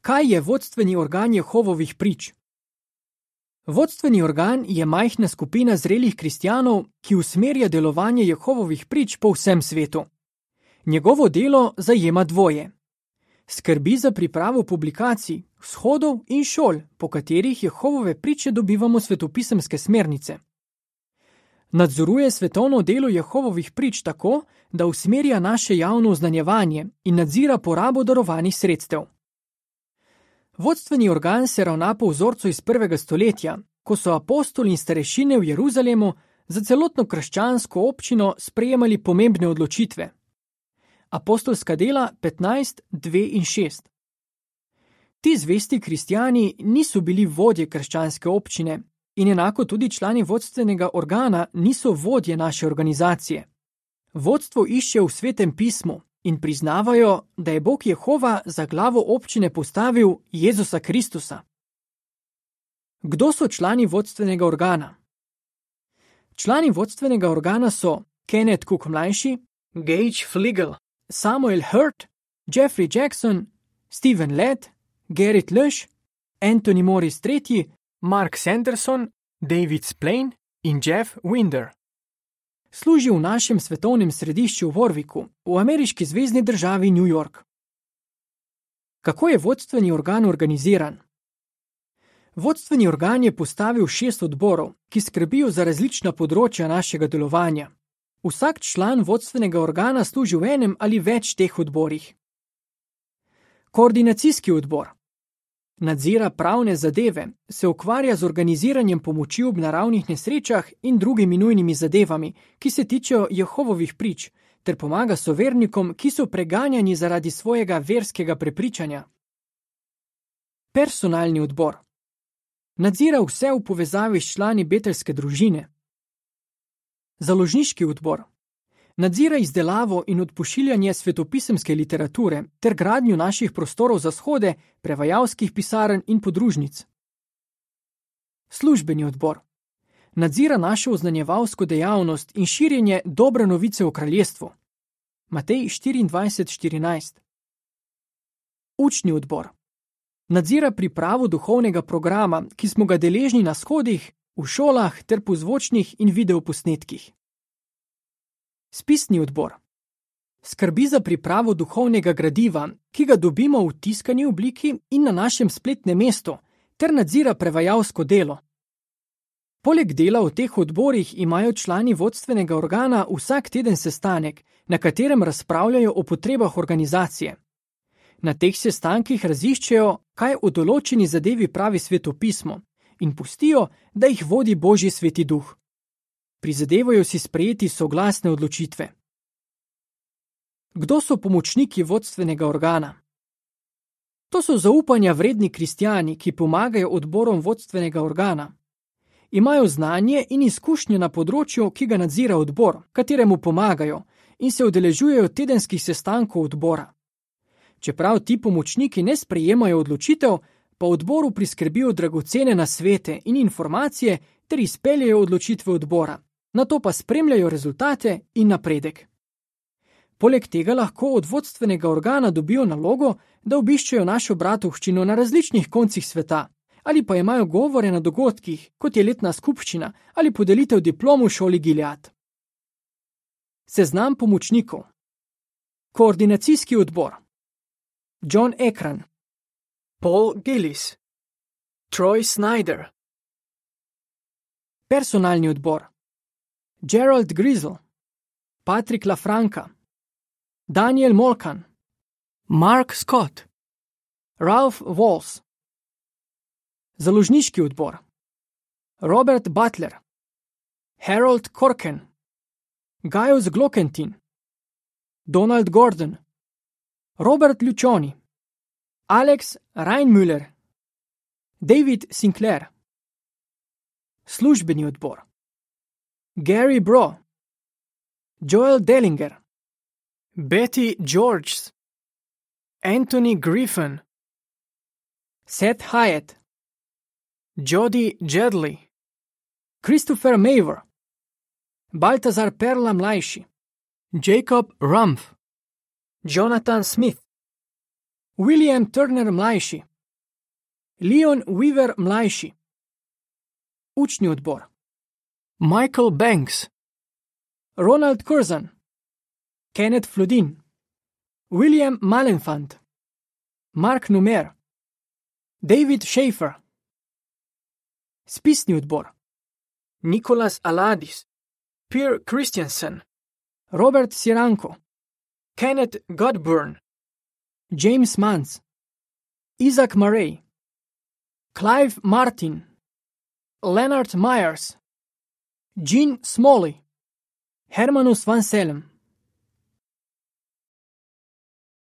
Kaj je vodstveni organ Jehovovih prič? Vodstveni organ je majhna skupina zrelih kristjanov, ki usmerja delovanje Jehovovih prič po vsem svetu. Njegovo delo zajema dvoje. Skrbi za pripravo publikacij, shodov in šol, po katerih Jehovove priče dobivamo svetopisemske smernice. Nadzoruje svetovno delo Jehovovih prič tako, da usmerja naše javno oznanjevanje in nadzira porabo darovanih sredstev. Vodstveni organ se ravna po vzorcu iz 1. stoletja, ko so apostoli in starešine v Jeruzalemu za celotno krščansko občino sprejemali pomembne odločitve. Apostolska dela 15, 2 in 6. Ti zvesti kristjani niso bili vodje krščanske občine in enako tudi člani vodstvenega organa niso vodje naše organizacije. Vodstvo išče v Svetem pismu in priznavajo, da je Bog Jehova za glavo občine postavil Jezusa Kristusa. Kdo so člani vodstvenega organa? Člani vodstvenega organa so Kenneth Cook mlajši, Gage Fligel, Samuel Hurt, Jeffrey Jackson, Stephen Led, Gerrit Lösch, Anthony Morris III, Mark Sanderson, David Splane in Jeff Winder. Služi v našem svetovnem središču v Warwicku, v ameriški zvezni državi New York. Kako je vodstveni organ organiziran? Vodstveni organ je postavil 6 odborov, ki skrbijo za različna področja našega delovanja. Vsak član vodstvenega organa služi v enem ali več teh odborih. Koordinacijski odbor nadzira pravne zadeve, se ukvarja z organiziranjem pomoči ob naravnih nesrečah in drugimi nujnimi zadevami, ki se tičejo Jehovovih prič, ter pomaga sovernikom, ki so preganjani zaradi svojega verskega prepričanja. Personalni odbor nadzira vse v povezavi s člani betelske družine. Založniški odbor nadzira izdelavo in odpošiljanje svetopisemske literature ter gradnjo naših prostorov za shode, prevajalskih pisarn in podružnic. Službeni odbor nadzira našo oznanjevalsko dejavnost in širjenje dobre novice o kraljestvu. Matej 24:14. Učni odbor nadzira pripravo duhovnega programa, ki smo ga deležni na shodih, v šolah ter po zvočnih in videoposnetkih. Spisni odbor skrbi za pripravo duhovnega gradiva, ki ga dobimo v tiskani obliki in na našem spletnem mestu, ter nadzira prevajalsko delo. Poleg dela v teh odborih imajo člani vodstvenega organa vsak teden sestanek, na katerem razpravljajo o potrebah organizacije. Na teh sestankih raziščejo, kaj o določeni zadevi pravi svetopismo, in pustijo, da jih vodi Božji sveti duh. Prizadevajo si sprejeti soglasne odločitve. Kdo so pomočniki vodstvenega organa? To so zaupanja vredni kristjani, ki pomagajo odborom vodstvenega organa. Imajo znanje in izkušnje na področju, ki ga nadzira odbor, kateremu pomagajo, in se udeležujejo tedenskih sestankov odbora. Čeprav ti pomočniki ne sprejemajo odločitev, pa odboru priskrbijo dragocene nasvete in informacije ter izpeljejo odločitve odbora, nato pa spremljajo rezultate in napredek. Poleg tega lahko od vodstvenega organa dobijo nalogo, da obiščejo našo bratovščino na različnih koncih sveta, ali pa imajo govore na dogodkih, kot je letna skupščina ali podelitev diplom v šoli Gilead. Seznam pomočnikov. Koordinacijski odbor. John Ekran, Paul Gillis, Troy Snyder. Personalni odbor. Gerald Grizzle, Patrick LaFranca, Daniel Molkan, Mark Scott, Ralph Walls. Založniški odbor. Robert Butler, Harold Corken, Gaius Glockentin, Donald Gordon, Robert Lucioni, Alex Reinmüller, David Sinclair. Službeni odbor. Gary Bro, Joel Dellinger, Betty Georges, Anthony Griffin, Seth Hyatt, Jody Jedley, Christopher Maver, Baltazar Perla mlajši, Jacob Rumpf, Jonathan Smith, William Turner mlajši, Leon Weaver mlajši. Učni odbor. Michael Banks, Ronald Curzon, Kenneth Flodin, William Malenfant, Mark Numer, David Schaefer. Spisni odbor. Nicholas Aladis, Pierre Christensen, Robert Siranko, Kenneth Godburn, James Mans, Isaac Murray, Clive Martin, Leonard Myers, Gene Smalley, Hermanus van Selem.